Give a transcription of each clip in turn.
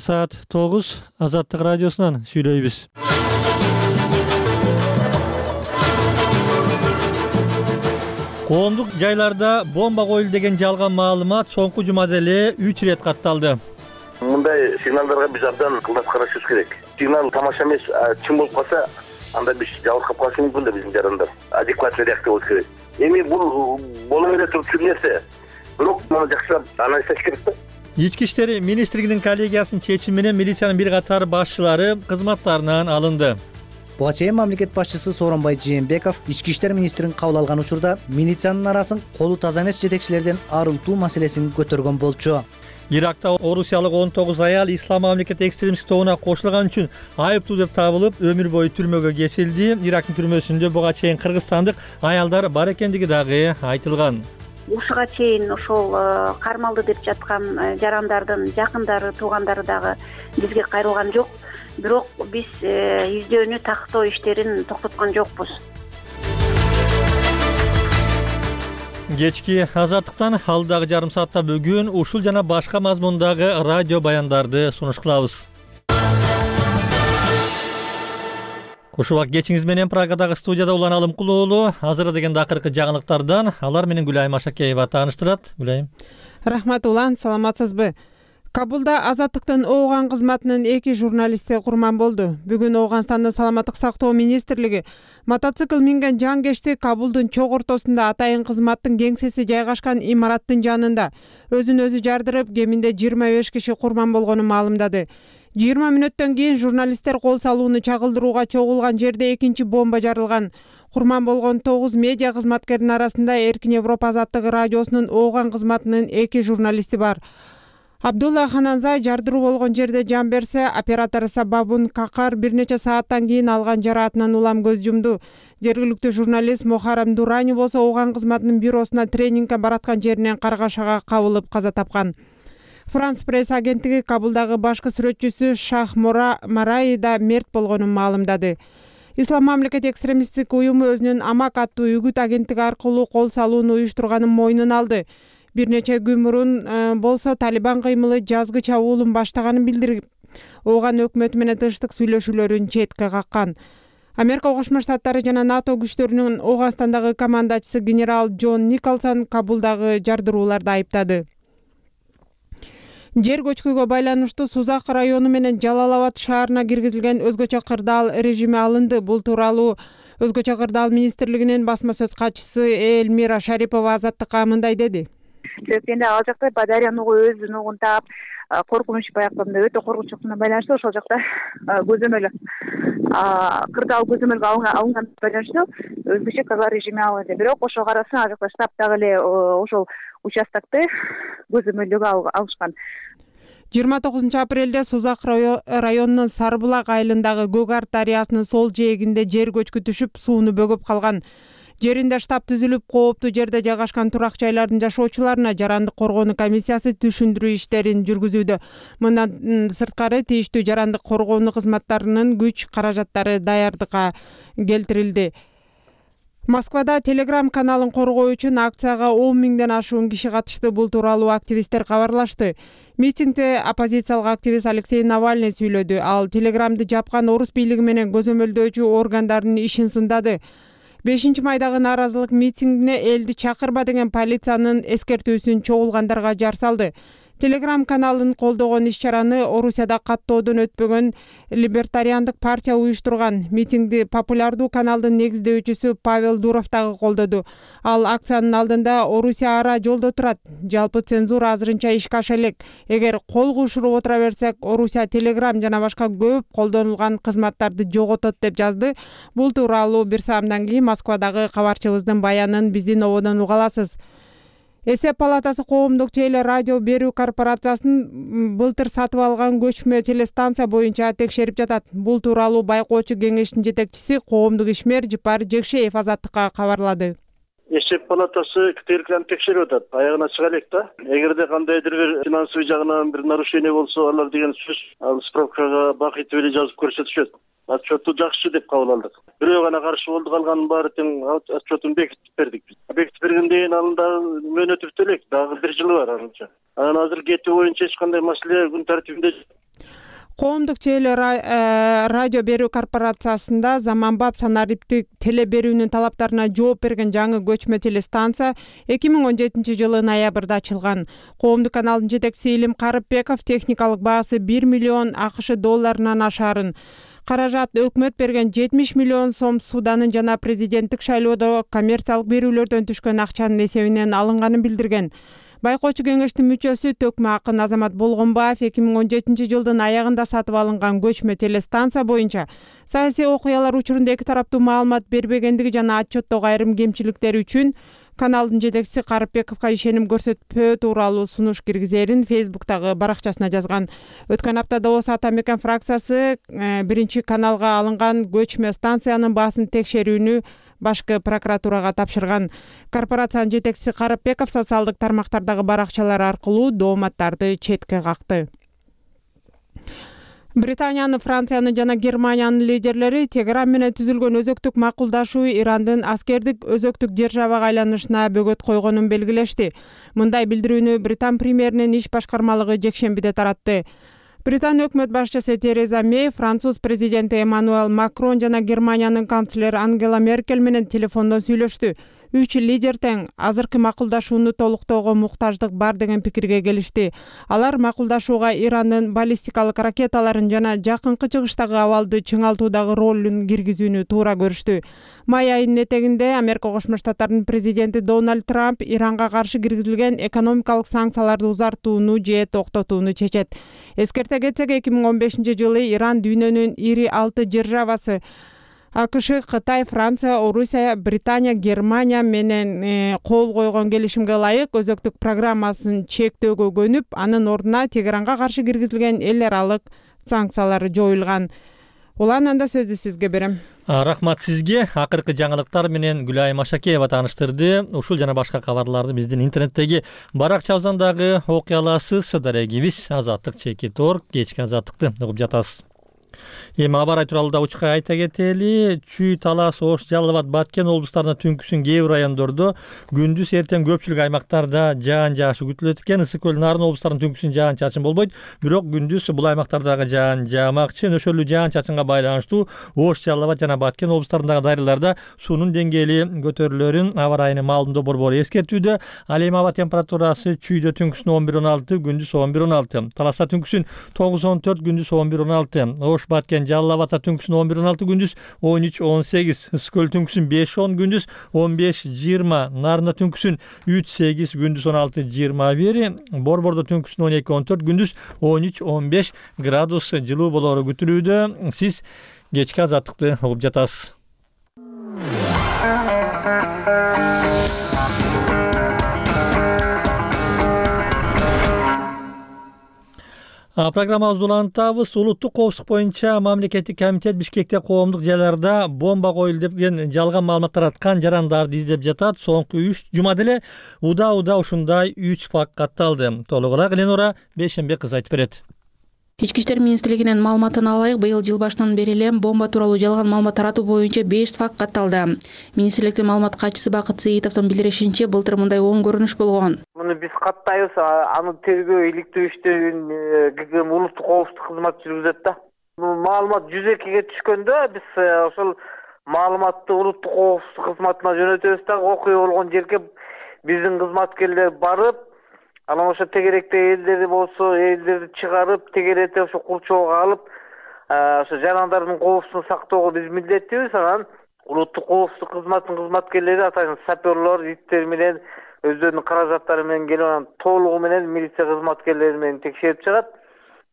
Saat 9 Azatlık Radyosu'ndan söyleyimiz. Коомдук жайларда бомба коюлду деген жалган маалымат соңку жумада эле 3 ирет катталды. Мындай сигналдарга биз абдан ылдап карашыбыз керек. Сигнал тамаша эмес, чын болуп калса, анда биз жабыркап калышы мүмкүн да биздин жарандар. Адекватный реакция болуш керек. Эми бул боло бере турчу нерсе. Бирок муну жакшылап анализдеш керек да. Ички иштер министрлигинин коллегиясынын чечими менен милициянын бир катар башчылары кызматтарынан алынды. Буга чейин мамлекет башчысы Сооронбай Жээнбеков ички иштер министрин кабыл алган учурда милициянын арасын колу таза эмес жетекчилерден арылтуу маселесин көтөргөн болчу. Иракта орусиялык 19 аял ислам мамлекет экстремисттик тобуна кошулган үчүн айыптуу деп табылып, өмүр бою түрмөгө кесилди. Ирактын түрмөсүндө буга чейин кыргызстандык аялдар бар экендиги дагы айтылган. Ушуга чейин ошол кармалды деп жаткан жарандардын жакындары, туугандары дагы бизге кайрылган жок. Бирок биз издөөнү тактоо иштерин токтоткон жокпуз. Кечки Азаттыктан алдагы жарым саатта бүгүн ушул жана башка мазмундагы радио баяндарды сунуш кылабыз. Ушул убакыт кечиңиз менен Прагадагы студияда Улан Алымкулуу уулу азыр деген акыркы жаңылыктардан алар менен Гүлайым Ашакеева тааныштырат. Гүлайым. Рахмат Улан, саламатсызбы? Кабулда Азаттыктын ООН кызматынын 2 журналисти курман болду. Бүгүн Ооганстандын саламаттык сактоо министрлиги мотоцикл минген жангешти Кабулдун чок ортосунда атайын кызматтын кеңсеси жайгашкан имараттын жанында өзүн өзү жардырып, кеминде 25 киши курман болгонун маалымдады. 20 мүнөттөн кийин журналисттер кол салууну чагылдырууга чогулган жерде экинчи бомба жарылган. Курман болгон 9 медиа кызматкеринин арасында Эркин Европа азаттыгы радиосунун ООН кызматынын 2 журналисти бар. Абдулла Хананзай жардыруу болгон жерде жан берсе, оператор Сабабун Какар бир нече сааттан кийин алган жараатынан улам көз жумду. Жергиликтүү журналист Мухаррам Дурани болсо ООН кызматынын бюросуна тренингге бараткан жеринен каргашага кабылып каза тапкан. Франс пресс агенттиги Кабулдагы башкы сүрөтчүсү Шах Мараи да мерт болгонун маалымдады. Ислам мамлекет экстремисттик уюму өзүнүн Амак аттуу үгүт агенттиги аркылуу кол салууну уюштурганын мойнуна алды. Бир нече күн мурун болсо Талибан кыймылы жазгы чабуулун баштаганын билдирип, ООН өкмөтү менен тынчтык сүйлөшүүлөрүн четке каккан. Америка Кошмо Штаттары жана НАТО күчтөрүнүн Ооганстандагы командачысы генерал Джон Николсон Кабулдагы жардырууларды айыптады. Жер көчкүгө байланыштуу Сузак району менен Жалалабад шаарына киргизилген өзгөчө кырдаал режими алынды. Бул тууралуу өзгөчө кырдаал министрлигинин басма сөз катчысы Элмира Шарипова Азаттыкка мындай деди. Эми ал жакта Бадариян угу өзүнүн угун таап коркунуч баягы өтө коркунучтуу байланыштуу ошол жакта көзөмөл кырдаал көзөмөлгө алынган байланыштуу өзгөчө каза режими алынды. Бирок ошого карасын ал жакта штаб дагы эле ошол участокты көзөмөлдөгө алышкан. 29 апрелде Сузак районунун Сарбулак айылындагы Гөгар дарыясынын сол жээгинде жер көчкү түшүп, сууну бөгөп калган. Жеринде штаб түзүлүп, кооптуу жерде жайгашкан турак жайлардын жашоочуларына жарандык коргоонуу комиссиясы түшүндүрүү иштерин жүргүзүүдө. Мындан сырткары тийиштүү жарандык коргоонуу кызматтарынын күч каражаттары даярдыкка келтирилди. Москвада Telegram каналын коргоо үчүн акцияга 10 миңден ашуун киши катышты. Бул тууралуу активисттер кабарлашты. Митингде оппозициялык активист Алексей Навальный сүйлөдү. Ал Telegram'ды жапкан орус бийлиги менен көзөмөлдөөчү органдардын ишин сындады. 5 майдагы нааразылык митингине элди чакырба деген полициянын эскертүүсүн чогулгандарга жар салды. Telegram каналын колдогон иш-чараны Орусияда каттоодон өтпөгөн либертариандык партия уюштурган. Митингди популярдуу каналдын негиздөөчүсү Павел Дуров дагы колдоду. Ал акциянын алдында Орусия ара жолдо турат. Жалпы цензура азырынча ишке аша элек. Эгер кол кушуруп отура берсек, Орусия Telegram жана башка көп колдонулган кызматтарды жоготот деп жазды. Бул тууралуу бир саамдан кийин Москвадагы кабарчыбыздын баянын биздин ободон уга аласыз. Эсеп палатасы коомдук теле радио берүү корпорациясын былтыр сатып алган көчмө телестанция боюнча текшерип жатат. Бул тууралуу байкоочу кеңештин жетекчиси коомдук ишмер Жыпар Жекшеев Азаттыкка кабарлады. Эсеп палатасы ктрлканы текшерип атат. Аягына чыга элек да. Эгерде кандайдыр бир финансовый жагынан бир нарушение болсо, алар деген сөз ал справкага бакыт эле жазып көрсөтүшөт. Отчету жакшы деп кабыл алдык. Бирөө гана каршы болду, калганын баары тең отчетун бекитип бердик. Бекитип бергенден кийин анын дагы мөөнөтү бүтө элек, дагы 1 жылы бар анча. Анан азыр кетүү боюнча эч кандай маселе күн тартибинде. Коомдук теле радио берүү корпорациясында заманбап санариптик теле берүүнүн талаптарына жооп берген жаңы көчмө телестанция 2017 жылы ноябрда ачылган. Коомдук каналдын жетекчиси Илим Карыпбеков техникалык баасы 1 миллион АКШ долларынан ашарын, каражат өкмөт берген 70 миллион сом Суданын жана президенттик шайлоодо коммерциялык берүүлөрдөн түшкөн акчанын эсебинен алынганын билдирген. Байкоочу кеңештин мүчөсү Төкмө Акын Азамат Болгонбаев 2017 жылдын аягында сатып алынган көчмө телестанция боюнча саясий окуялар учурунда эки тараптуу маалымат бербегендиги жана отчеттогу айрым кемчиликтери үчүн каналдын жетекчиси Карыпбековго ишеним көрсөтпөө тууралуу сунуш киргизерин Facebooktагы баракчасына жазган. Өткөн аптада Ош Ата Мекен фракциясы биринчи каналга алынган көчмө станциянын баасын текшерүүнү башкы прокуратурага тапшырган. Корпорациянын жетекчиси Карыпбеков социалдык тармактардагы баракчалар аркылуу дооматтарды четке какты. Британиянын, Франциянын жана Германиянын лидерлери Тегеран менен түзүлгөн өзөктүк макулдашуу Ирандын аскердик өзөктүк державага айланышына бөгөт койгонун белгилешти. Мындай билдирүүнү Британ премьеринин иш башкармалыгы жекшембиде таратты. Британ өкмөт башчысы Тереза Мей, француз президенти Эммануэл Макрон жана Германиянын канцлери Ангела Меркель менен телефондон сүйлөштү. Үч лидер тең азыркы макулдашууну толуктоого муктаждык бар деген пикирге келишти. Алар макулдашууга Ирандын баллистикалык ракеталарын жана жакынкы чыгыштагы абалды чыңалтуудагы ролун киргизүүнү туура көрүштү. Май айынын этегинде Америка Кошмо Штаттарынын президенти Дональд Трамп Иранга каршы киргизилген экономикалык санкцияларды узартууну же токтотууну чечет. Эскерте кетсек, 2015 жылы Иран дүйнөнүн ири 6 державасы АКШ, Кытай, Франция, Орусия, Британия, Германия менен кол койгон келишимге ылайык өзөктүк программасын чектөөгө көнүп, анын ордуна Тегеранга каршы киргизилген эл аралык санкциялар жоюлган. Улананда сөздү сизге берем. Рахмат сизге. Акыркы жаңылыктар менен Гүлайым Ашакеева тааныштырды. Ушул жана башка кабарларды биздин интернеттеги баракчабыздан дагы окуй аласыз. Дарегибиз Азаттык /.org. Кечки Азаттыкты угуп жатасыз. Эми аба ырай тууралуу да учка айта кетели. Чүй, Талас, Ош, Жалал Абад, Баткен облустарына түнкүсүн кээ бир райондордо, күндүз эртең көпчүлүк аймактарда жаан жаашы күтүлөт экен. Ысык көл, Нарын облустарынын түнкүсүн жаан чачын болбойт, бирок күндүз бул аймактардагы жаан жаамакчы. Нөшөрлүү жаан чачынга байланыштуу Ош, Жалал Абад жана Баткен облустарындагы дарыяларда суунун деңгээли көтөрүлөрүн аба ырайынын маалымдоо борбору эскертүүдө. Ал эми аба температурасы Чүйдө түнкүсүн 11-16, күндүз 11-16. Таласта түнкүсүн 9-14, күндүз 11-16. Ош, Баткен, Жалал Абадта түнкүсүн 11-16, күндүз 13-18. Ысык көл түнкүсүн 5-10, күндүз 15-20. Нарында түнкүсүн 3-8, күндүз 16-21. Борбордо түнкүсүн 12-14, күндүз 13-15 градус жылуу болору күтүлүүдө. Сиз кечки Азаттыкты угуп жатасыз. Программабызды улантабыз. Улуттук коопсуздук боюнча мамлекеттик комитет Бишкекте коомдук жайларда бомба коюлду деген жалган маалымат тараткан жарандарды издеп жатат. Соңку 3 жумада эле уда ушундай 3 факт катталды. Толугураак Ленора Бейшенбек кызы айтып берет. Ички иштер министрлигинин маалыматына ылайык, быйыл жыл башынан бери эле бомба тууралуу жалган маалымат таратуу боюнча 5 факт катталды. Министрликтин маалымат катчысы Бакыт Сыйтовдун билдиришинче, былтыр мындай оң көрүнүш болгон. Муну биз каттайбыз, аны тергөө иликтөө иштерин ГКМ улуттук коопсуздук кызматы жүргүзөт да. Маалымат 102-ге түшкөндө биз ошол маалыматты улуттук коопсуздук кызматына жөнөтөбүз да, окуя болгон жерге биздин кызматкерлер барып, анан ошо тегеректе элдери болсо, элдерди чыгарып, тегеретип ошо курчоого алып, ошо жарандардын коопсуздугун сактоого биз милдеттүүбүз. Анан улуттук коопсуздук кызматынын кызматкерлери атайын саперлор, иттер менен өздөрүнүн каражаттары менен келип, анан толугу менен милиция кызматкерлери менен текшерип чыгат.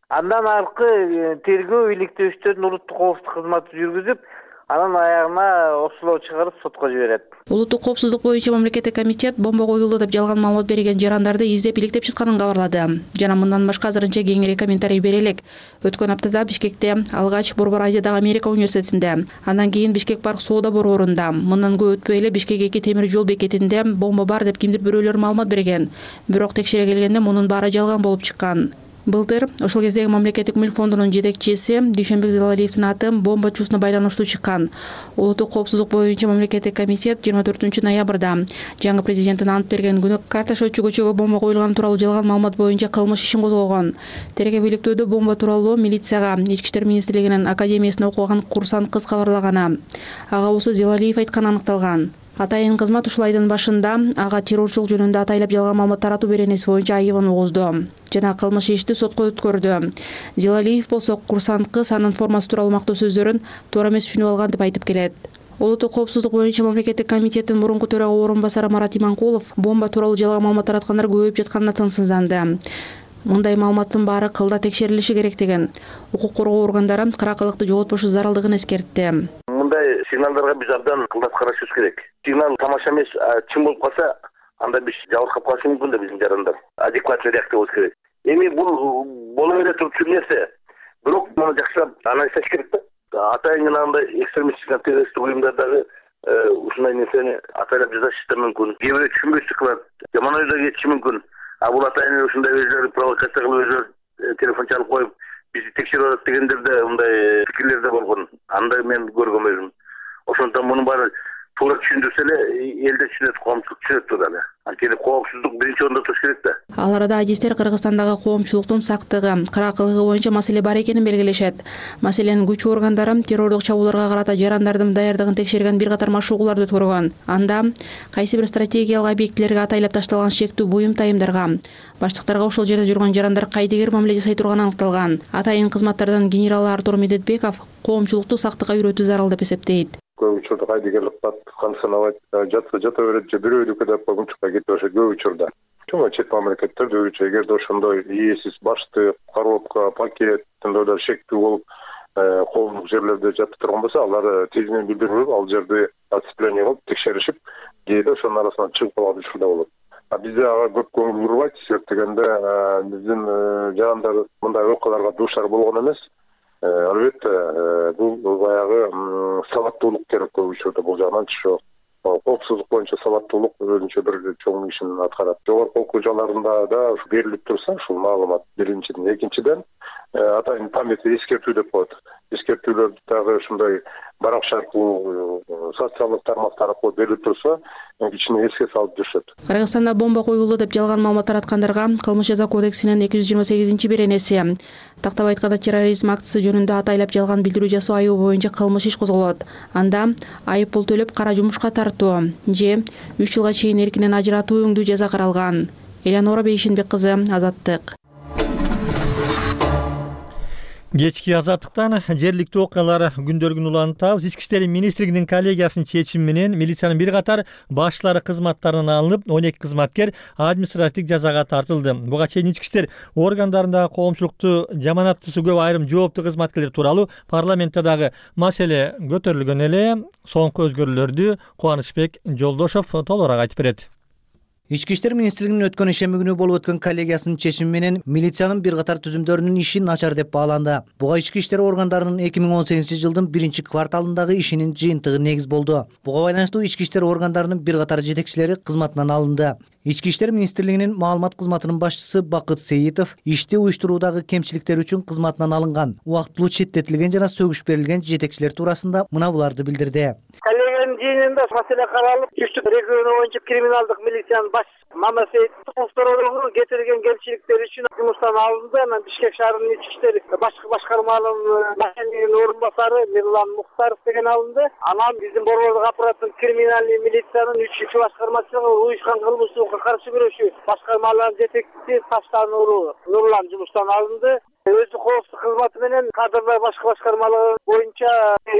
Андан аркы тергөө иликтөө иштерин улуттук коопсуздук кызматы жүргүзүп, анан аягына оштолоо чыгарып сотко жиберет. Улуттук коопсуздук боюнча мамлекеттик комитет бомба коюлду деп жалган маалымат берген жарандарды издеп иликтеп чыкканын кабарлады. Жана мындан башка азырынча кеңирээк комментарий бере элек. Өткөн аптада Бишкекте алгач Борбор Азиядагы Америка университетинде, андан кийин Бишкек парк соода борборунда, мындан көп өтпөй эле Бишкек 2 темир жол бекетинде бомба бар деп кимдир бирөөлөр маалымат берген. Бирок текшере келгенде мунун баары жалган болуп чыккан. Былтыр ошол кездеги мамлекеттик мүлк фондунун жетекчиси Дүйшөнбек Зелалиевдин аты бомба чуусуна байланыштуу чыккан. Улуттук коопсуздук боюнча мамлекеттик комитет 24 ноябрда жаңы президенттин ант берген күнү Карташочу көчөгө бомба коюлганы тууралуу жалган маалымат боюнча кылмыш ишин козгогон. Тергөө-бийликтөөдө бомба тууралуу милицияга Ички иштер министрлигинин академиясында окуган курсант кыз кабарлаган. Ага болсо Зелалиев айтканы аныкталган. Атайын кызмат ушул айдын башында ага террорчулук жөнүндө атайлап жалган маалымат таратуу беренеси боюнча айыбын угузду жана кылмыш ишти сотко өткөрдү. Зелалиев болсо курсант кыз анын формасы тууралуу мактоо сөздөрүн туура эмес түшүнүп алган деп айтып келет. Улуттук коопсуздук боюнча мамлекеттик комитеттин мурунку төрага орун басары Марат Иманкулов бомба тууралуу жалган маалымат тараткандар көбөйүп жатканына тынчсызданды. Мындай маалыматтын баары кылда текшерилиши керек деген. Укук коргоо органдары кыракылыкты жоготпошу зарылдыгын эскертти. Мындай сигналдарга биз абдан кылдат карашыбыз керек. Сигнал тамаша эмес, чын болуп калса, анда биз жабыркап калышы мүмкүн да биздин жарандар. Адекватный реакция болуш керек. Эми бул боло бере турчу нерсе. Бирок муну жакшылап анализдеш керек да. Атайын андай экстремисттик террористтик уюмдардагы ушундай нерсени атайлап жазышы да мүмкүн. Кээ бирөө түшүнбөстүк кылат, жаман ойдо кетиши мүмкүн. Бул атайын ушундай өзүлөрү провокация кылып өзүлөрү телефон чалып коюп бизди текшерип атат дегендер да мындай пикирлер да болгон. Андай мен көргөм өзүм. Ошондон мунун баары туура түшүндүрсө эле элде түшүнөт, коомчулук түшүнөт тууралуу. Анткени коопсуздук биринчи орунда туруш керек да. Ал арада адистер Кыргызстандагы коомчулуктун сактыгы, кыракылыгы боюнча маселе бар экенин белгилешет. Маселен, күч органдары террордук чабуулдарга карата жарандардын даярдыгын текшерген бир катар машыгууларды көргөн. Анда кайсы бир стратегиялык объектилерге атайлап ташталган шектүү буюм тайымдарга, баштыктарга ошол жерде жүргөн жарандар кайдыгер мамиле жасай турганы аныкталган. Атайын кызматтардан генерал Артур Медетбеков коомчулукту сактыкка үйрөтүү зарыл деп эсептейт. Көп учурда кайдыгерлик кансанабайт, жата берет же бирөөнүкү деп койгунчукка кетип атышат көп учурда. Чоң чет мамлекеттерде өзүнчө эгерде ошондой ээсиз башты, коробка, пакет тындоодо шектүү болуп коомдук жерлерде жатып турган болсо, алар тезинен билдирип, ал жерде отцепление кылып текшеришип, кээде ошонун арасынан чыгып калган учурда болот. Бизде ага көп көңүл бурбайт, себеп дегенде биздин жарандар мындай окуяларга дуушар болгон эмес. Албетте бул баягы сабаттуулук керек көп учурда бул жагынан чыгып. Коопсуздук боюнча сабаттуулук өзүнчө бир чоң ишин аткарат. Жогорку окуу жайларында да берилип турса ушул маалымат биринчиден, экинчиден атайын памятный эскертүү деп коет. Эскертүүлөрдү дагы ушундай баракча аркылуу, социалдык тармактар аркылуу берилип турса, кичине эске салып жүрүшөт. Кыргызстанда бомба коюлду деп жалган маалымат тараткандарга Кылмыш жаза кодексинин 228-беренеси, тактап айтканда терроризм актысы жөнүндө атайлап жалган билдирүү жасоо айыбы боюнча кылмыш иш козголот. Анда айып пул төлөп кара жумушка тартуу же 3 жылга чейин эркинен ажыратуу өңдүү жаза каралган. Элеонора Бейшенбек кызы, Азаттык. Кечки Азаттыктан жергиликтүү окуялар күндөргүн улантабыз. Ички иштер министрлигинин коллегиясынын чечими менен милициянын бир катар башчылары кызматтарынан алынып, 12 кызматкер административдик жазага тартылды. Буга чейин ички иштер органдарындагы коомчулукту жаманаттысы көп айрым жооптуу кызматкерлер тууралуу парламентте дагы маселе көтөрүлгөн эле. Соңку өзгөрүүлөрдү Кубанычбек Жолдошов толугураак айтып берет. Ички иштер министрлигинин өткөн ишемби күнү болуп өткөн коллегиясынын чечими менен милициянын бир катар түзүмдөрүнүн иши начар деп бааланды. Буга ички иштер органдарынын 2018-жылдын 1-кварталындагы ишинин жыйынтыгы негиз болду. Буга байланыштуу ички иштер органдарынын бир катар жетекчилери кызматынан алынды. Ички иштер министрлигинин маалымат кызматынын башчысы Бакыт Сейитов ишти уюштуруудагы кемчиликтер үчүн кызматынан алынган, убактылуу четтетилген жана сөгүш берилген жетекчилер туурасында мына буларды билдирди. Коллегиянын жыйынында маселе каралып, Түштүк региону боюнча криминалдык милициянын башчысы Мамат Сейитовдун кетирген кемчиликтери үчүн жумуштан алынды. Анан Бишкек шаарынын ички иштер башкы башкармалыгынын башчысынын орун басары Мирлан Мухтаров деген алынды. Анан биздин Борбордук аппараттын криминалдык милициянын 3-чү башкармачылыгы уюшкан кылмыштуулукка каршы күрөшүү башкармалыгынын жетекчиси Таштануру Нурлан жумуштан алынды. Өзү коопсуздук кызматы менен кадрлар башкы башкармалыгы боюнча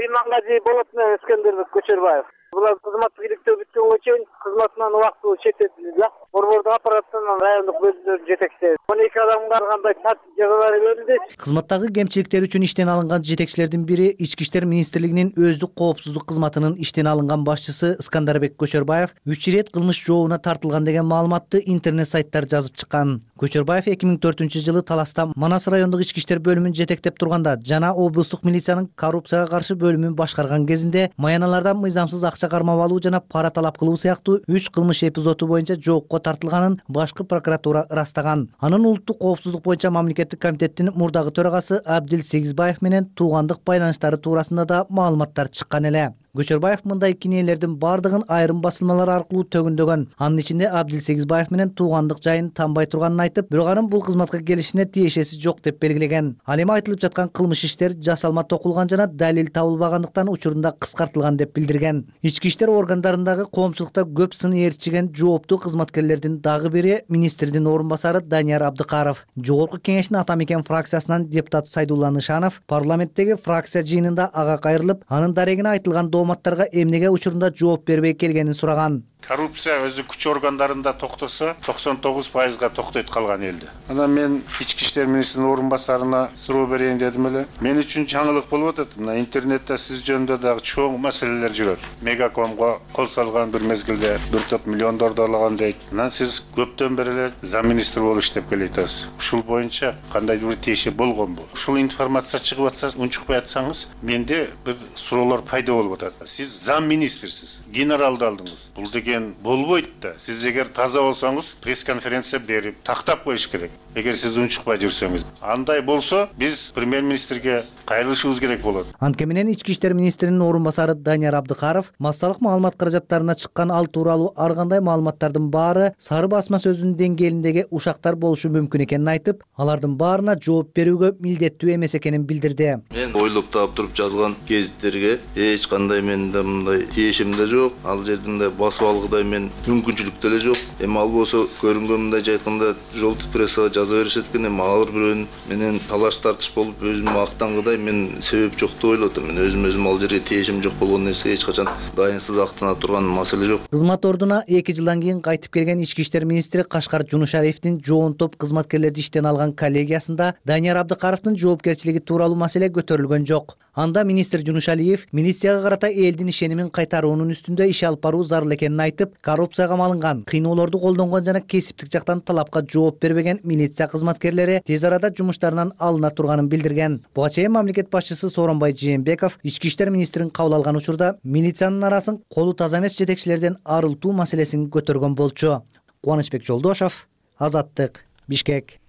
Имангазиев Болот менен Эскендербек Көчөрбаев. Булар кызматтык иликтөө бүткөнгө чейин кызматынан убактылуу четтетилди. Борбордук аппараттын райондук бөлүмдөрүнүн жетекчиси 12 адамга кандай тартип жазалар берилди. Кызматтагы кемчиликтер үчүн иштен алынган жетекчилердин бири Ички иштер министрлигинин өздүк коопсуздук кызматынын иштен алынган башчысы Искандарбек Көчөрбаев 3 ирет кылмыш жообуна тартылган деген маалыматты интернет сайттар жазып чыккан. Көчөрбаев 2004-жылы Таласта Манас райондук ички иштер бөлүмүн жетектеп турганда жана облустук милициянын коррупцияга каршы бөлүмүн башкарган кезинде маяналардан мыйзамсыз акча акча кармап алуу жана пара талап кылуу сыяктуу 3 кылмыш эпизоду боюнча жоопко тартылганын башкы прокуратура ырастаган. Анын улуттук коопсуздук боюнча мамлекеттик комитеттин мурдагы төрагасы Абдил Сегизбаев менен туугандык байланыштары туурасында да маалыматтар чыккан эле. Көчөрбаев мындай кинелердин бардыгын айрым басылмалар аркылуу төгүндөгөн. Анын ичинде Абдил Сегизбаев менен туугандык жайын танбай турганын айтып, бирок анын бул кызматка келишине тиешеси жок деп белгилеген. Ал эми айтылып жаткан кылмыш иштер жасалма токулган жана далил табылбагандыктан учурунда кыскартылган деп билдирген. Ички иштер органдарындагы коомчулукта көп сын ээрчиген жооптуу кызматкерлердин дагы бири министрдин орун басары Данияр Абдыкаров. Жогорку кеңештин Ата Мекен фракциясынан депутат Сайдулла Нышанов парламенттеги фракция жыйынында ага кайрылып, анын дарегине айтылган дооматтарга эмнеге учурунда жооп бербей келгенин сураган. Коррупция өзү күч органдарында токтосо 99%га токтойт калган элди. Анан мен ички иштер министринин орун басарына суроо берейин дедим эле. Мен үчүн жаңылык болуп атат. Мына интернетте сиз жөнүндө дагы чоң маселелер жүрөт. Мегакомго кол салган бир мезгилде 1 топ миллиондорду алган дейт. Анан сиз көптөн бери эле зам министр болуп иштеп келатасыз. Ушул боюнча кандайдыр бир тиеши болгонбу? Ушул информация чыгып атса, унчукпай атсаңыз, менде бир суроолор пайда болуп атат. Сиз зам министрсиз, генералды алдыңыз. Бул деген болбойт да. Сиз эгер таза болсоңуз, пресс-конференция берип, тактап коюш керек. Эгер сиз унчукпай жүрсөңүз, андай болсо, биз премьер-министрге кайрылышыбыз керек болот. Анткени менен ички иштер министринин орун басары Данияр Абдыкаров массалык маалымат каражаттарына чыккан ал тууралуу ар кандай маалыматтардын баары сары басма сөзүнүн деңгээлиндеги ушактар болушу мүмкүн экенин айтып, алардын баарына жооп берүүгө милдеттүү эмес экенин билдирди. Мен ойлоп таап туруп жазган гезиттерге эч кандай менде мындай тиешим да жок. Ал жерде басып алгыдай мен мүмкүнчүлүк деле жок. Эми ал болсо көрүнгөн мындай айтканда жолдуу прессага жаза беришет экен. Эми ар бирөөнүн менен талаш тартыш болуп өзүм актангыдай мен себеп жок деп ойлоп атам. Мен өзүм ал жерге тиешим жок болгон нерсе эч качан дайынсыз актана турган маселе жок. Кызмат ордуна 2 жылдан кийин кайтып келген ички иштер министри Кашкар Жунушариевдин жоон топ кызматкерлерди иштен алган коллегиясында Данияр Абдыкаровдун жоопкерчилиги тууралуу маселе көтөрүлгөн жок. Анда министр Жунушалиев милицияга карата элдин ишенимин кайтаруунун үстүндө иш алып баруу зарыл экенин айтып, коррупцияга малынган, кыйноолорду колдонгон жана кесиптик жактан талапка жооп бербеген милиция кызматкерлери тез арада жумуштарынан алына турганын билдирген. Буга чейин мамлекет башчысы Сооронбай Жээнбеков ички иштер министрин кабыл алган учурда милициянын арасын колу таза эмес жетекчилерден арылтуу маселесин көтөргөн болчу. Кубанычбек Жолдошов, Азаттык, Бишкек.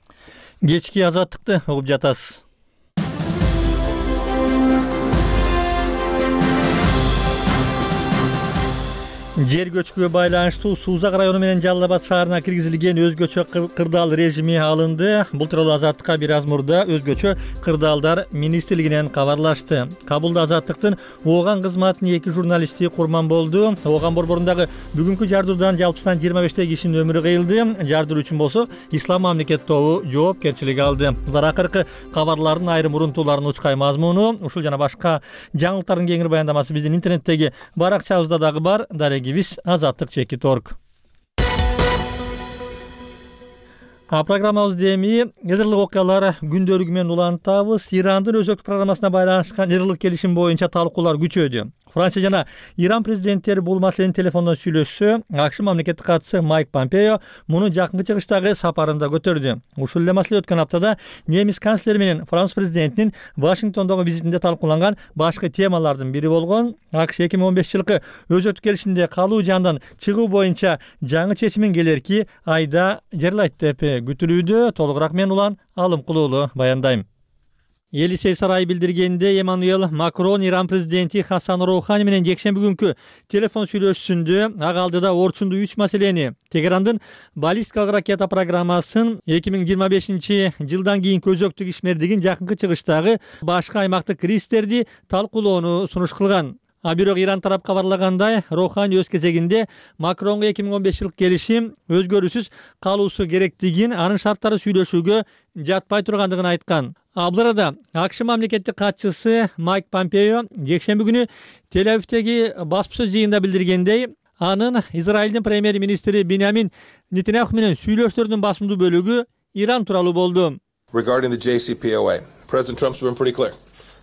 Кечки Азаттыкты угуп жатасыз. Жер көчкүгө байланыштуу Сузак району менен Жалал Абад шаарына киргизилген өзгөчө кырдаал режими алынды. Бул тууралуу Азаттыкка бир аз мурда өзгөчө кырдаалдар министрлигинен кабарлашты. Кабулда Азаттыктын Ооган кызматынын 2 журналисти курман болду. Ооган борборундагы бүгүнкү жардуудан жалпысынан 25 кишинин өмүрү кыйылды. Жардуу үчүн болсо Ислам мамлекет тобу жоопкерчилик алды. Булар акыркы кабарлардын айрым урунтууларынын учкай мазмуну, ушул жана башка жаңылыктардын кеңири баяндамасы биздин интернеттеги баракчабызда дагы бар. Азаттык _org. Программабызды эми ядерлык окуялар күндөлүгү менен улантабыз. Ирандын өзөктүк программасына байланышкан ядерлык келишим боюнча талкуулар күчөдү. Франция жана Иран президенттери бул маселени телефондон сүйлөшсө, АКШ мамлекеттик катчысы Майк Помпео муну жакынкы чыгыштагы сапарында көтөрдү. Ушул эле маселе өткөн аптада немис канцлери менен Франц президентинин Вашингтондогу визитинде талкууланган башкы темалардын бири болгон. АКШ 2015 жылкы өзөктүк келишимде калуу жандан чыгуу боюнча жаңы чечимин келерки айда жарыялайт деп күтүлүүдө. Толугураак мен Улан Алымкулуулу баяндайм. Елисей сарайы билдиргенде Эммануэл Макрон Иран президенти Хасан Роухани менен жекшемби күнкү телефон сүйлөшүүсүндө ага алдыда орчундуу 3 маселени Тегерандын баллистикалык ракета программасын 2025 жылдан кийинки өзөктүк ишмердигин жакынкы чыгыштагы башка аймактык рисктерди талкуулоону сунуш кылган. Бирок Иран тарап кабарлагандай, Роухани өз кезегинде Макронго 2015 жылкы келишим өзгөрүүсүз калуусу керектигин, анын шарттары сүйлөшүүгө жатпай тургандыгын айткан. Бул арада АКШ мамлекеттик катчысы Майк Помпео жекшемби күнү Тель-Авивдеги баспасөз жыйынында билдиргендей, анын Израилдин премьер-министри Биньямин Нетаньяху менен сүйлөшүүлөрдүн басымдуу бөлүгү Иран тууралуу болду. Regarding the JCPOA, President Trump's been pretty clear.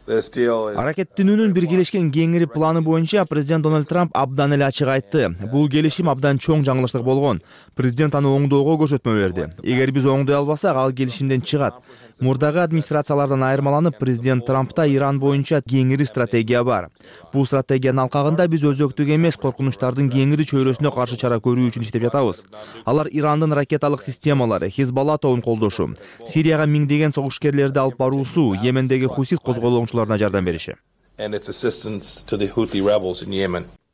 Аракеттенүүнүн биргелешкен кеңири планы боюнча президент Дональд Трамп абдан эле ачык айтты. Бул келишим абдан чоң жаңылыштык болгон. Президент аны оңдоого көрсөтмө берди. Эгер биз оңдой албасак, ал келишимден чыгат. Мурдагы администрациялардан айырмаланып, президент Трампта Иран боюнча кеңири стратегия бар. Бул стратегиянын алкагында биз өзөктүк эмес коркунучтардын кеңири чөйрөсүнө каршы чара көрүү үчүн иштеп жатабыз. Алар Ирандын ракеталык системалары, Хизбалла тобун колдошу, Сирияга миңдеген согушкерлерди алып баруусу, Йемендеги хусит козголоңчуларына жардам бериши.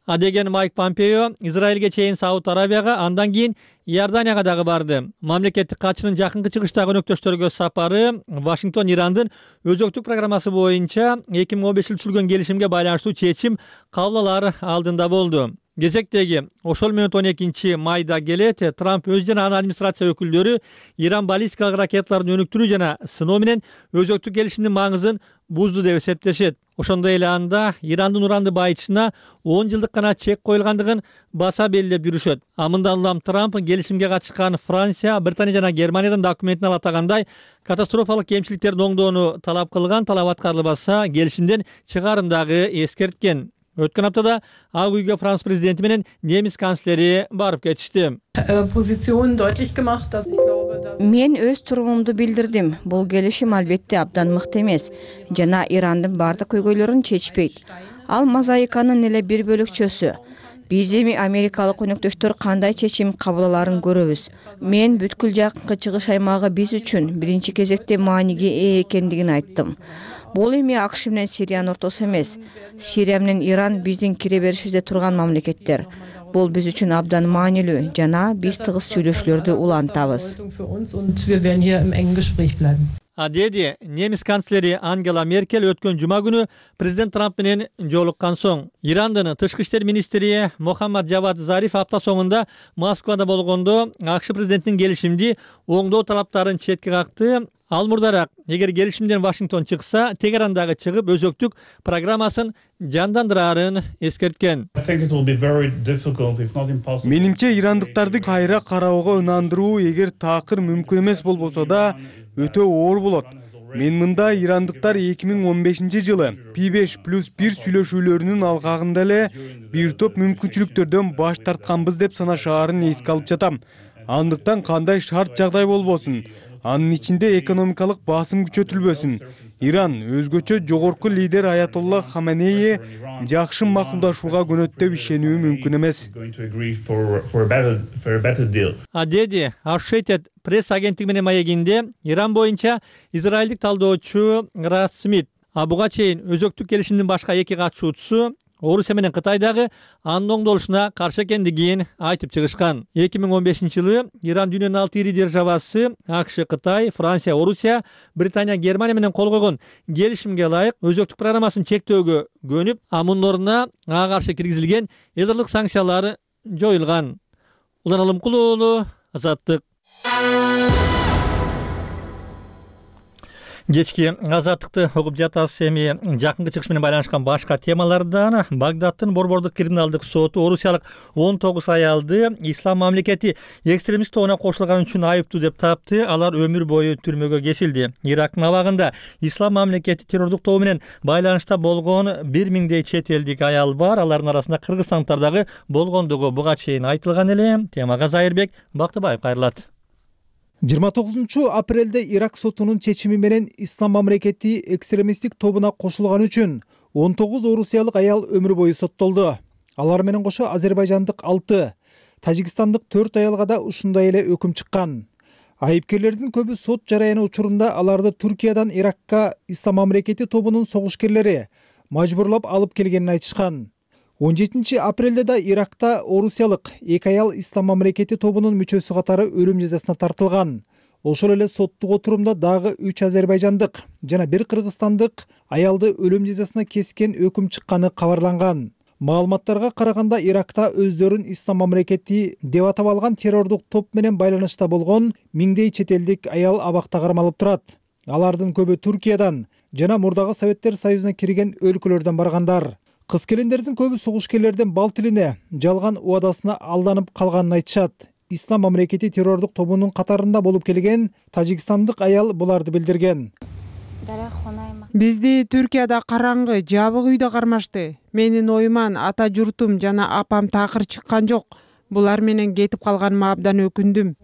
Адеген Майк Помпео Израилге чейин Сауд Арабияга, андан кийин Иорданияга дагы барды. Мамлекеттик катчынын жакынкы чыгыштагы өнөктөштөргө сапары Вашингтон Ирандын өзөктүк программасы боюнча 2015 сүргөн келишимге байланыштуу чечим кабыл алар алдында болду. Кезектеги ошол менен 12 майда келет Трамп өз жана анын администрация өкүлдөрү Иран баллистикалык ракеталарын өнүктүрүү жана сыноо менен өзөктүк келишимдин маңызын бузду деп эсептешет. Ошондой эле анда Ирандын уранды байытышына 10 жылдык гана чек коюлгандыгын баса белгилеп жүрүшөт. Мындан улам Трамп келишимге катышкан Франция, Британия жана Германиядан документин ала атагандай катастрофалык кемчиликтердин оңдоону талап кылган, талап аткарылбаса келишимден чыгарын дагы эскерткен. Өткөн аптада Ак үйгө Франц президенти менен немис канцлери барып кетишти. Мен өз турумумду билдирдим. Бул келишим албетте абдан мыкты эмес жана Ирандын бардык көйгөйлөрүн чечпейт. Ал мозаиканын эле бир бөлүкчөсү. Биз эми америкалык өнөктөштөр кандай чечим кабыл аларын көрөбүз. Мен бүткүл жакынкы чыгыш аймагы биз үчүн биринчи кезекте мааниге ээ экендигин айттым. Бул эми АКШ менен Сириянын ортосу эмес. Сирия менен Иран биздин кире беришибизде турган мамлекеттер. Бул биз үчүн абдан маанилүү жана биз тыгыз сүйлөшүүлөрдү улантабыз. Деди немис канцлери Ангела Меркель өткөн жума күнү президент Трамп менен жолуккан соң. Ирандын тышкы иштер министри Мохаммад Джавад Зариф апта соңунда Москвада болгондо АКШ президентинин келишимди оңдоо талаптарын четке какты. Ал мурдараак эгер келишимден Вашингтон чыкса, Тегерандагы чыгып өзөктүк программасын жандандырарын эскерткен. Менимче ирандыктарды кайра кароого ынандыруу эгер таакыр мүмкүн эмес болбосо да өтө оор болот. Мен мында ирандыктар 2015 жылы P5+1 сүйлөшүүлөрүнүн алкагында эле бир топ мүмкүнчүлүктөрдөн баш тартканбыз деп санашаарын эске алып жатам. Андыктан кандай шарт жагдай болбосун, анын ичинде экономикалык басым күчөтүлбөсүн. Иран өзгөчө жогорку лидер Аятолла Хаменеи жакшы макулдашууга көнөт деп ишенүү мүмкүн эмес. Деди Associated Press агенттиги менен маегинде Иран боюнча израилдик талдоочу Рад Смит буга чейин өзөктүк келишимдин башка эки катышуучусу Орусия менен Кытайдагы анын оңдолушуна каршы экендигин айтып чыгышкан. 2015 жылы Иран дүйнөнүн 6 ири державасы АКШ, Кытай, Франция, Орусия, Британия, Германия менен кол койгон келишимге ылайык өзөктүк программасын чектөөгө көнүп, мунун ордуна ага каршы киргизилген элдарлык санкциялар жоюлган. Улан Алымкул уулу, Азаттык. Кечки Азаттыкты угуп жатасыз. Эми жакынкы чыгыш менен байланышкан башка темалардан Багдадтын Борбордук криминалдык соту орусиялык 19 аялды ислам мамлекети экстремист тобуна кошулган үчүн айыптуу деп тапты. Алар өмүр бою түрмөгө кесилди. Ирактын абагында ислам мамлекети террордук тобу менен байланышта болгон 1000дей чет элдик аял бар. Алардын арасында кыргызстандыктар дагы болгондугу буга чейин айтылган эле. Темага Зайырбек Бактыбаев кайрылат. 29 апрелде Ирак сотунун чечими менен ислам мамлекети экстремисттик тобуна кошулган үчүн 19 орусиялык аял өмүр бою соттолду. Алар менен кошо азербайжандык 6, тажикстандык 4 аялга да ушундай эле өкүм чыккан. Айыпкерлердин көбү сот жараяны учурунда аларды Туркиядан Иракка ислам мамлекети тобунун согушкерлери мажбурлап алып келгенин айтышкан. 17 апрелде да Иракта орусиялык 2 аял ислам мамлекети тобунун мүчөсү катары өлүм жазасына тартылган. Ошол эле соттук отурумда дагы 3 азербайжандык жана 1 кыргызстандык аялды өлүм жазасына кескен өкүм чыкканы кабарланган. Маалыматтарга караганда Иракта өздөрүн ислам мамлекети деп атап алган террордук топ менен байланышта болгон 1000дей чет элдик аял абакта кармалып турат. Алардын көбү Туркиядан жана мурдагы Советтер Союзуна кирген өлкөлөрдөн баргандар. Кыз-келиндердин көбү согушкерлердин бал тилине, жалган убадасына алданып калганын айтышат. Ислам мамлекети террордук тобунун катарында болуп келген тажикстандык аял буларды билдирген. Бизди Түркияда караңгы, жабык үйдө кармашты. Менин оюман ата журтум жана апам такыр чыккан жок. Булар менен кетип калганыма абдан өкүндүм.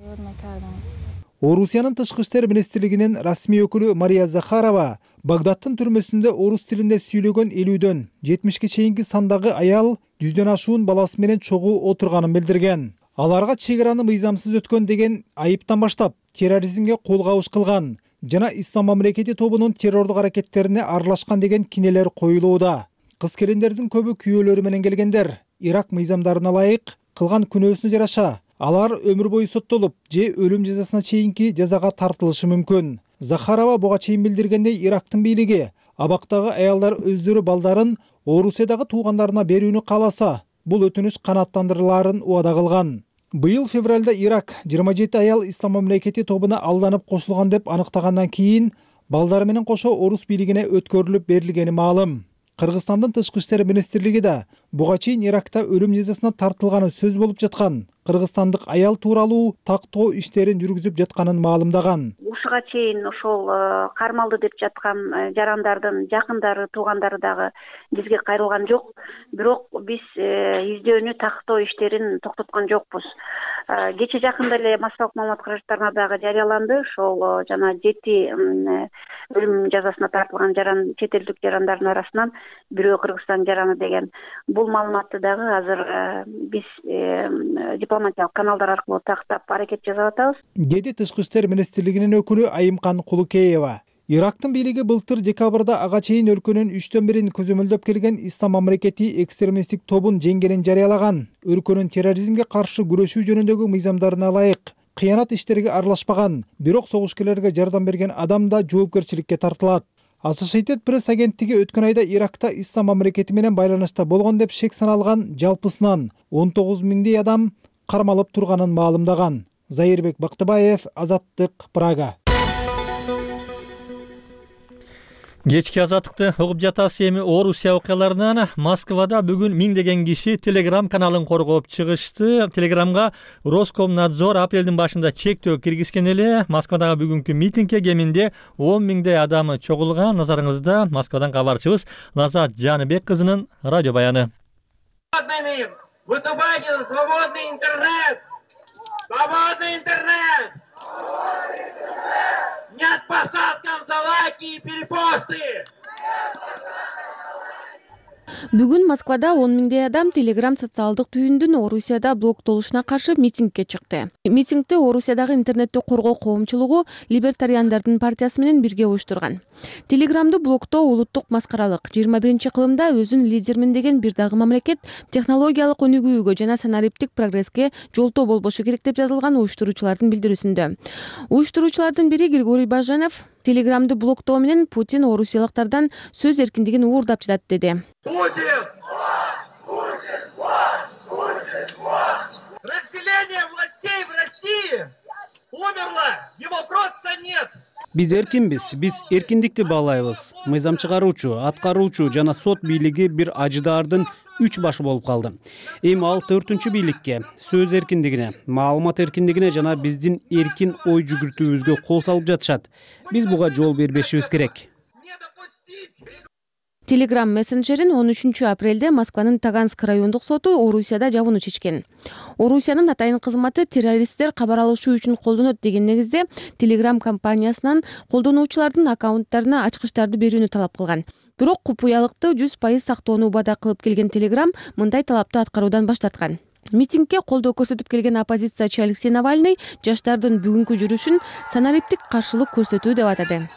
Орусиянын тышкы иштер министрлигинин расмий өкүлү Мария Захарова Багдадтын түрмөсүндө орус тилинде сүйлөгөн 50дөн 70ке чейинки сандагы аял 100дөн ашуун баласы менен чогуу отурганын билдирген. Аларга чек араны мыйзамсыз өткөн деген айыптан баштап терроризмге кол кабыш кылган жана Ислам мамлекети тобунун террордук аракеттерине аралашкан деген кинелер коюлууда. Кыз-келиндердин көбү күйөөлөрү менен келгендер. Ирак мыйзамдарына ылайык кылган күнөөсүнө жараша алар өмүр бою соттолуп же өлүм жазасына чейинки жазага тартылышы мүмкүн. Захарова буга чейин билдиргендей, Ирактын бийлиги абактагы аялдар өздөрү балдарын Орусиядагы туугандарына берүүнү кааласа, бул өтүнүч канааттандырылаарын убада кылган. Быйыл февралда Ирак 27 аял Ислам мамлекети тобуна алданып кошулган деп аныктагандан кийин балдары менен кошо орус бийлигине өткөрүлүп берилгени маалым. Кыргызстандын тышкы иштер министрлиги да буга чейин Иракта өлүм жазасына тартылганы сөз болуп жаткан кыргызстандык аял тууралуу тактоо иштерин жүргүзүп жатканын маалымдаган. Ушуга чейин ошол кармалды деп жаткан жарандардын жакындары, туугандары дагы бизге кайрылган жок. Бирок биз издөөнү, тактоо иштерин токтоткон жокпуз. Кече жакында эле массалык маалымат каражаттарына дагы жарыяланды. Ошол жана 7 өлүм жазасына тартылган чет элдик жарандардын арасынан бирөө Кыргызстан жараны деген. Бул маалыматты дагы азыр биз дипломатиялык каналдар аркылуу тактап аракет жасап атабыз, деди тышкы иштер министрлигинин өкүлү Айымкан Кулукеева. Ирактын бийлиги былтыр декабрда ага чейин өлкөнүн 3/1 көзөмөлдөп келген Ислам мамлекети экстремисттик тобун жеңгенин жарыялаган. Өлкөнүн терроризмге каршы күрөшүү жөнүндөгү мыйзамдарына ылайык кыянат иштерге аралашпаган, бирок согушкерлерге жардам берген адам да жоопкерчиликке тартылат. Associated Press агенттиги өткөн айда Иракта Ислам мамлекети менен байланышта болгон деп шек саналган жалпысынан 19 миңдей адам кармалып турганын маалымдаган. Зайырбек Бактыбаев, Азаттык, Прага. Кечки азаттыкты угуп жатасыз. Эми Орусия окуяларынан Москвада бүгүн миңдеген киши Telegram каналын коргоп чыгышты. Telegramга Роскомнадзор апрелдин башында чектөө киргизген эле. Москвадагы бүгүнкү митингге кеминде 10 миңдей адамы чогулган. Назарыңызда Москвадан кабарчыбыз Назат Жаныбек кызынын радио баяны. Выступайте за свободный интернет! Свободный интернет! Нет посадкам за лайки и перепосты! Бүгүн Москвада 10 миңдей адам Telegram социалдык түйүндүн Орусияда блоктолушуна каршы митингге чыкты. Митингди Орусиядагы интернетти коргоо коомчулугу Либертариандардын партиясы менен бирге уюштурган. Telegramды блоктоо улуттук маскаралык. 21-кылымда өзүн лидермин деген бир дагы мамлекет технологиялык өнүгүүгө жана санариптик прогресске жолтоо болбошу керек деп жазылган уюштуруучулардын билдирүүсүндө. Уюштуруучулардын бири Григорий Баженов Telegramды блоктоо менен Путин орусиялыктардан сөз эркиндигин уурдап жатат деди. Разделение властей в России умерло, его просто нет. Биз эркинбиз, биз эркиндикти баалайбыз. Мыйзам чыгаруучу, аткаруучу жана сот бийлиги бир ажыдаардын 3 башы болуп калды. Эми ал 4-чү бийликке, сөз эркиндигине, маалымат эркиндигине жана биздин эркин ой жүгүртүүбүзгө кол салып жатышат. Биз буга жол бербешибиз керек. Telegram мессенджерин 13 апрелде Москванын Таганск райондук соту Орусияда жабууну чечкен. Орусиянын атайын кызматы террористтер кабар алышуу үчүн колдонот деген негизде Telegram компаниясынан колдонуучулардын аккаунттарына ачкычтарды берүүнү талап кылган. Бирок купуялыкты 100% сактоону убада кылып келген Telegram мындай талапты аткаруудан баш тарткан. Митингге колдоо көрсөтүп келген оппозициячы Алексей Навальный жаштардын бүгүнкү жүрүшүн санариптик каршылык көрсөтүү деп атады.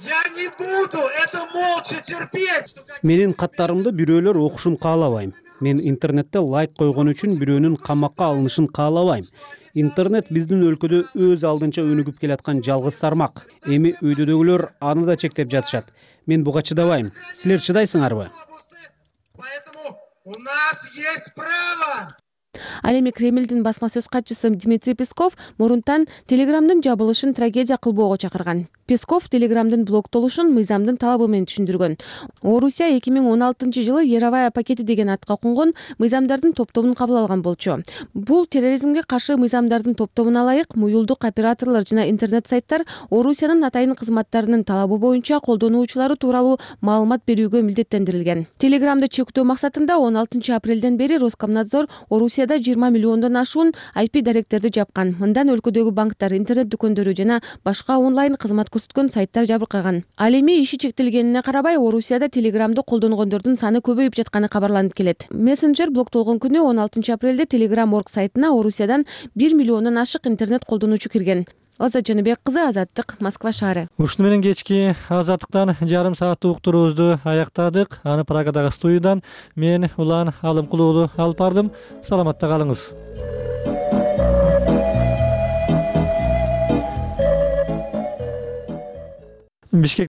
Я не буду это молча терпеть. Менин каттарымды бирөөлөр окушун каалабайм. Мен интернетте лайк койгон үчүн бирөөнүн камакка алынышын каалабайм. Интернет биздин өлкөдө өз алдынча өнүгүп келаткан жалгыз тармак. Эми өйдөдөгүлөр аны да чектеп жатышат. Мен буга чыдабайм. Силер чыдайсыңарбы? Поэтому у нас есть право. Ал эми Кремлдин басма сөз катчысы Дмитрий Песков мурунтан Telegramдын жабылышын трагедия кылбоого чакырган. Песков Telegramдын блоктолушун мыйзамдын талабы менен түшүндүргөн. Орусия 2016-жылы Яровая пакети деген атка конгон мыйзамдардын топтомун кабыл алган болчу. Бул терроризмге каршы мыйзамдардын топтомуна ылайык муюлдук операторлор жана интернет сайттар Орусиянын атайын кызматтарынын талабы боюнча колдонуучулары тууралуу маалымат берүүгө милдеттендирилген. Telegramды чектөө максатында 16 апрелден бери Роскомнадзор Орусияда Орусияда 20 миллиондон ашуун IP даректерди жапкан. Мындан өлкөдөгү банктар, интернет дүкөндөрү жана башка онлайн кызмат көрсөткөн сайттар жабыркаган. Ал эми иши чектелгенине карабай, Орусияда Телеграмды колдонгондордун саны көбөйүп жатканы кабарланып келет. Мессенджер блоктолгон күнү 16 апрелде Telegram.org сайтына Орусиядан 1 миллиондон ашык интернет колдонуучу кирген. Азат Жаныбек кызы, Азаттык, Москва шаары. Ушуну менен кечки Азаттыктан жарым сааттык уктуруубузду аяктадык. Аны Прагадагы студиядан мен Улан Алымкулуу уулу алып бардым. Саламатта калыңыз. Бишкек